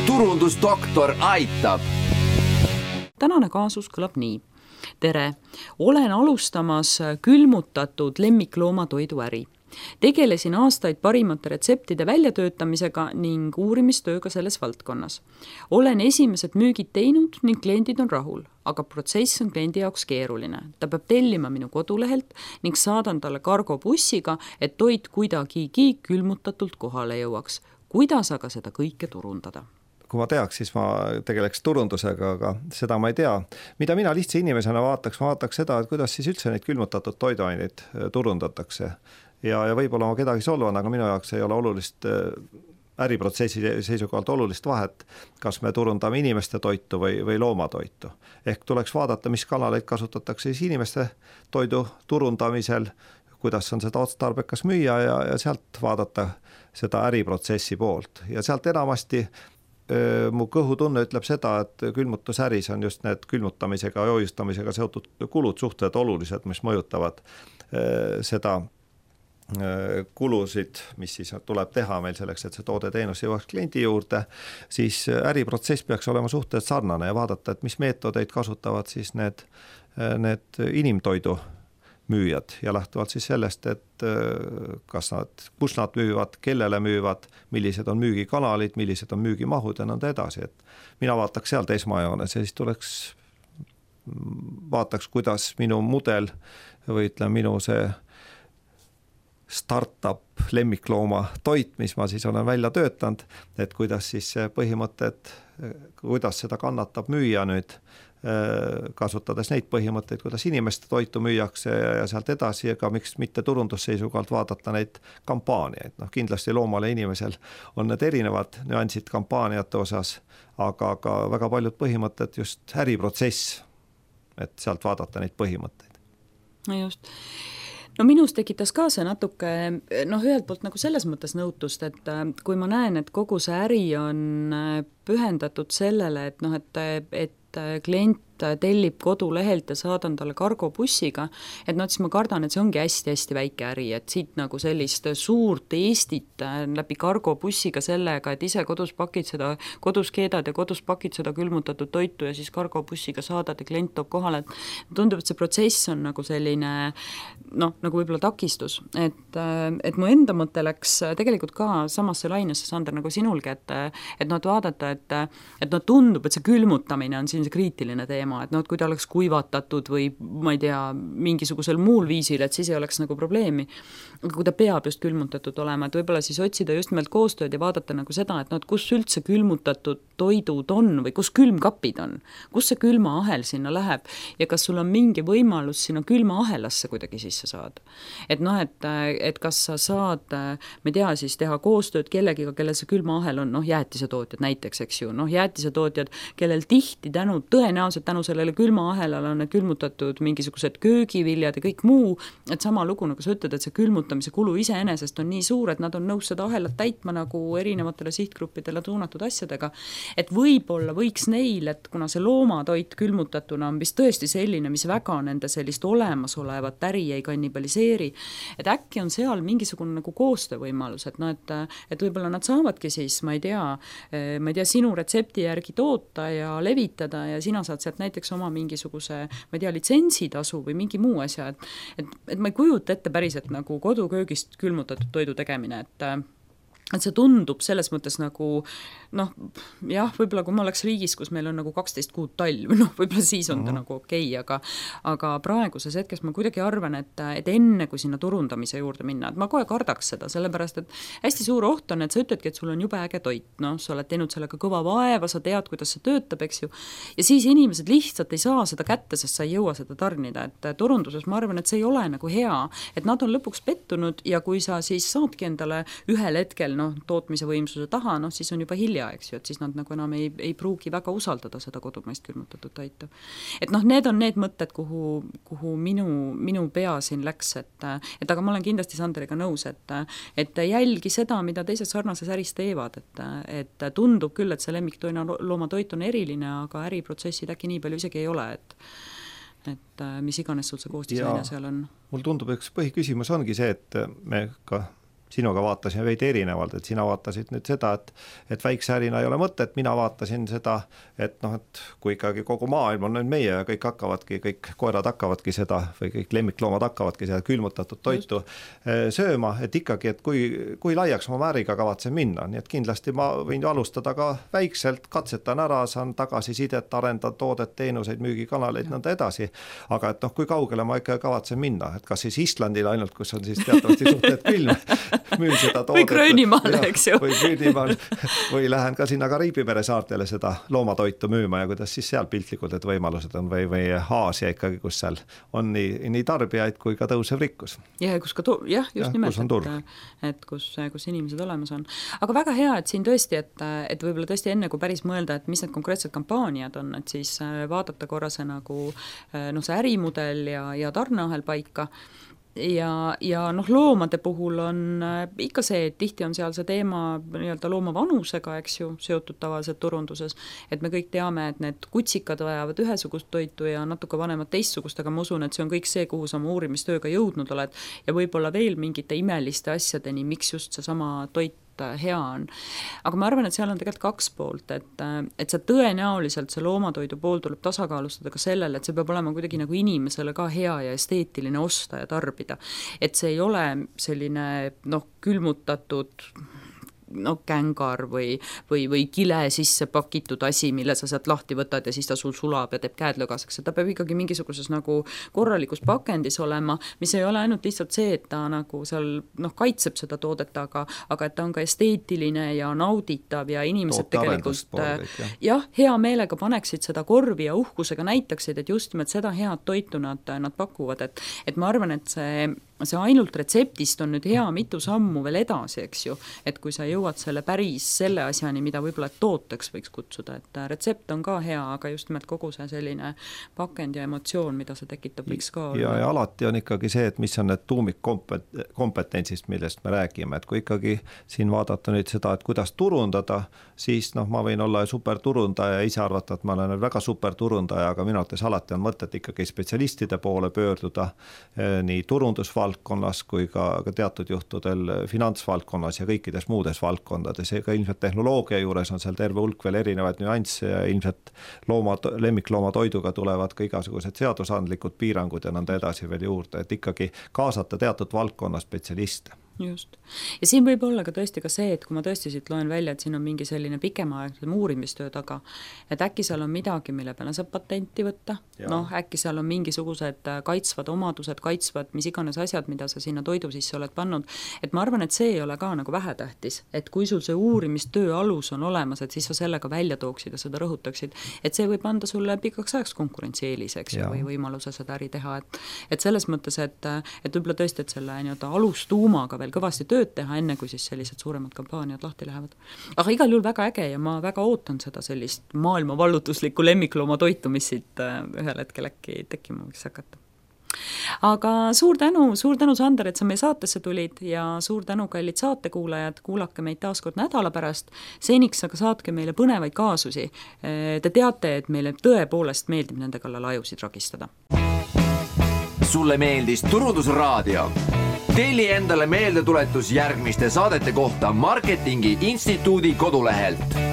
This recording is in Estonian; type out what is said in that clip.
turundusdoktor aitab. Tänane kaasus kõlab nii. Tere, olen alustamas külmutatud lemmikloomatoidu äri. Tegelesin aastaid parimate retseptide väljatöötamisega ning uurimistööga selles valdkonnas. Olen esimesed müügid teinud ning kliendid on rahul, aga protsess on kliendi jaoks keeruline. Ta peab tellima minu kodulehelt ning saadan talle kargobussiga, et toit kuidagigi külmutatult kohale jõuaks. Kuidas aga seda kõike turundada? Kui ma teaks, siis ma tegeleks turundusega, aga seda ma ei tea. Mida mina lihtsa inimesena vaataks seda, et kuidas siis üldse neid külmutatud toiduaineid turundatakse. Ja võib-olla ma kedagi solvan, aga minu jaoks ei ole olulist äriprotsessi seisukohalt olulist vahet, kas me turundame inimeste toitu või loomatoitu. Ehk tuleks vaadata, mis kanaleid kasutatakse siis inimeste toidu turundamisel, kuidas on seda otstarbekas müüa ja sealt vaadata seda äriprotsessi poolt. Ja sealt enamasti mu kõhutunne ütleb seda, et külmutusäris on just need külmutamisega ja hoiustamisega seotud kulud suhteliselt olulised, mis mõjutavad seda kulusid, mis siis tuleb teha meil selleks, et see toode-teenus jõuaks kliendi juurde, siis äriprotsess peaks olema suhteliselt sarnane ja vaadata, et mis meetodeid kasutavad siis need inimtoidu müüjad ja lähtuvalt siis sellest, et kus nad müüvad, kellele müüvad, millised on müügikanalid, millised on müügimahud ja nõnda edasi. Et mina vaataks sealt esmajoones ja siis vaataks, kuidas minu mudel või minu see startup lemmiklooma toit, mis ma siis olen välja töötanud, et kuidas siis põhimõtted, kuidas seda kannatab müüa nüüd, kasutades neid põhimõtteid, kuidas inimeste toitu müüakse ja sealt edasi, aga miks mitte turundusseisukohalt vaadata neid kampaaniaid. Kindlasti loomal ja inimesel on need erinevad nüansid kampaaniate osas, aga väga paljud põhimõtted just äriprotsess, et sealt vaadata neid põhimõtteid. No just. No minus tekitas ka see natuke, ühelt poolt nagu selles mõttes nõutust, et kui ma näen, et kogu see äri on pühendatud sellele, et klient tellib kodulehelt ja saadan talle kargobussiga, et siis ma kardan, et see ongi hästi-hästi väike äri, et siit nagu sellist suurt Eestit läbi kargobussiga sellega, et ise kodus keedad ja kodus pakid seda külmutatud toitu ja siis kargobussiga saadad ja klient toob kohale, et tundub, et see protsess on nagu selline, nagu võib-olla takistus, et mu enda mõte läks tegelikult ka samasse lainesse, Sander, nagu sinulgi, et vaadata, et tundub, et see külmutamine on siin see kriitiline teema, et kui ta oleks kuivatatud või ma ei tea, mingisugusel muul viisil, et siis ei oleks nagu probleemi. Aga kui ta peab just külmutatud olema, et võib-olla siis otsida just nimelt koostööd ja vaadata nagu seda, et kus üldse külmutatud toidud on või kus külmkapid on, kus see külmaahel sinna läheb ja kas sul on mingi võimalus sinna külmaahelasse kuidagi sisse saada. Et kas sa saad, ma ei tea, siis teha koostööd kellegiga, kellel see külmaahel on, jäätisetootjad näiteks, eks ju, jäätisetootjad, kellel tihti tõenäoliselt tänu sellele külmaahelale on need külmutatud mingisugused köögiviljad ja kõik muu, et sama lugu, nagu sa ütled, et see külmutamise kulu iseenesest on nii suur, et nad on nõus seda ahelat täitma nagu erinevatele sihtgruppidele suunatud asjadega, et võib-olla võiks neil, et kuna see loomatoit külmutatuna on vist tõesti selline, mis väga nende sellist olemasolevat äri ei kannibaliseeri, et äkki on seal mingisugune nagu koostöövõimalus, et võib-olla nad saavadki siis, ma ei tea, sinu retsepti järgi toota ja levitada ja sina saad sealt näiteks oma mingisuguse, ma ei tea, litsentsitasu või mingi muu asja, et ma ei kujuta ette päriselt nagu koduköögist külmutatud toidu tegemine, et see tundub selles mõttes nagu, võib-olla kui ma oleks riigis, kus meil on nagu 12 kuud talv, võib-olla siis on ta nagu okei, aga praeguses hetkes ma kuidagi arvan, et enne kui sinna turundamise juurde minna, et ma kohe kardaks seda, sellepärast, et hästi suur oht on, et sa ütledki, et sul on jube äge toit, sa oled teinud sellega kõva vaeva, sa tead, kuidas see töötab, eks ju, ja siis inimesed lihtsalt ei saa seda kätte, sest sa ei jõua seda tarnida, et turunduses ma arvan, et see ei ole nagu hea, et nad on lõpuks pettunud ja kui sa siis saadki endale ühel hetkel tootmise võimsuse taha, siis on juba hilja, eks ju, et siis nad nagu enam ei pruugi väga usaldada seda kodumaist külmutatud toitu. Et need on need mõtted, kuhu minu pea siin läks, et aga ma olen kindlasti Sanderiga nõus, et jälgi seda, mida teised sarnases äris teevad, et tundub küll, et see lemmikloomatoit on eriline, aga äriprotsessid äkki nii palju isegi ei ole, et mis iganes sul see koostisaine seal on. Mul tundub, üks põhiküsimus ongi see, et me ka sinuga vaatasin veidi erinevalt, et sina vaatasid nüüd seda, et väikse ärina ei ole mõtet, mina vaatasin seda, et et kui ikkagi kogu maailm on nüüd meie ja kõik koerad hakkavadki seda või kõik lemmikloomad hakkavadki seda külmutatud toitu sööma, et ikkagi, et kui laiaks ma äriga kavatsen minna, nii et kindlasti ma võin alustada ka väikselt, katsetan ära, saan tagasisidet, arendan toodet, teenuseid, müügikanaleid, nõnda edasi, aga et kui kaugele ma ikka kavatsen minna, et kas siis Islandile ainult, kus on siis teatavasti suhteliselt külm, müün seda toodet. Või Gröönimaale, eks ju. Või Gröönimaal, või lähen ka sinna Kariibi mere saartele seda loomatoitu müüma ja kuidas siis seal piltlikult, et võimalused on või Aasia ikkagi, kus seal on nii tarbijaid kui ka tõusev rikkus. Ja kus ka just nimelt, et kus inimesed olemas on. Aga väga hea, et siin tõesti, et võib-olla tõesti enne, kui päris mõelda, et mis need konkreetsed kampaaniad on, et siis vaadata korra see nagu see ärimudel ja tarneahel paika. Ja loomade puhul on ikka see, et tihti on seal see teema nii-öelda looma vanusega, eks ju, seotud tavaliselt turunduses, et me kõik teame, et need kutsikad vajavad ühesugust toitu ja natuke vanemad teistsugust, aga ma usun, et see on kõik see, kuhu sa oma uurimistööga jõudnud oled ja võib-olla veel mingite imeliste asjadeni, miks just see sama toit hea on. Aga ma arvan, et seal on tegelikult kaks poolt, et see tõenäoliselt see loomatoidu pool tuleb tasakaalustada ka sellele, et see peab olema kuidagi nagu inimesele ka hea ja esteetiline osta ja tarbida. Et see ei ole selline külmutatud kängar või kile sisse pakitud asi, mille sa sealt lahti võtad ja siis ta sul sulab ja teeb käed lögaseks, et ta peab ikkagi mingisuguses nagu korralikus pakendis olema, mis ei ole ainult lihtsalt see, et ta nagu seal kaitseb seda toodet, aga et ta on ka esteetiline ja nauditav ja inimesed tegelikult hea meelega paneksid seda korvi ja uhkusega näitaksid, et just nimelt seda head toitu nad pakuvad, et ma arvan, et see ainult retseptist on nüüd hea mitu sammu veel edasi, eks ju, et kui sa jõuad selle asjani, mida võib-olla tooteks võiks kutsuda, et retsept on ka hea, aga just nimelt kogu see selline pakend ja emotsioon, mida see tekitab, võiks ka olla. Ja alati on ikkagi see, et mis on need tuumikkompetentsist, millest me räägime, et kui ikkagi siin vaadata nüüd seda, et kuidas turundada, siis ma võin olla superturundaja ja ise arvata, et ma olen väga superturundaja, aga minu arvates alati on mõtet ikkagi spetsialistide poole pöörduda nii turundusvaldkonnas kui ka teatud juhtudel finantsvaldkonnas ja kõikides muudes valdkondades, ega ilmselt tehnoloogia juures on seal terve hulk veel erinevaid nüansse ja ilmselt lemmikloomatoiduga tulevad ka igasugused seadusandlikud piirangud ja nõnda edasi veel juurde, et ikkagi kaasata teatud valdkonna spetsialiste. Just. Ja siin võib olla ka tõesti ka see, et kui ma tõesti siit loen välja, et siin on mingi selline pikemaaegsem uurimistöö taga, et äkki seal on midagi, mille peale saab patenti võtta, äkki seal on mingisugused kaitsvad omadused, mis iganes asjad, mida sa sinna toidu sisse oled pannud, et ma arvan, et see ei ole ka nagu vähetähtis, et kui sul see uurimistöö alus on olemas, et siis sa sellega välja tooksid ja seda rõhutaksid, et see võib anda sulle pikaks ajaks konkurentsieeliseks või võimaluse seda äri teha, et selles mõttes, et võib-olla tõesti, et selle nii-öelda alustuumaga veel kõvasti tööd teha, enne kui siis sellised suuremad kampaaniad lahti lähevad. Aga igal juhul väga äge ja ma väga ootan seda sellist maailma vallutuslikku lemmiklooma toitu, mis siit ühel hetkel äkki tekkima võiks hakata. Aga suur tänu, Sander, et sa meie saatesse tulid ja suur tänu, kallid saatekuulajad, kuulake meid taaskord nädala pärast. Seniks aga saatke meile põnevaid kaasusi. Te teate, et meile tõepoolest meeldib nende kallal ajusid ragistada. Sulle meeldis Turundusraadio? Telli endale meeldetuletus järgmiste saadete kohta Marketingi Instituudi kodulehelt.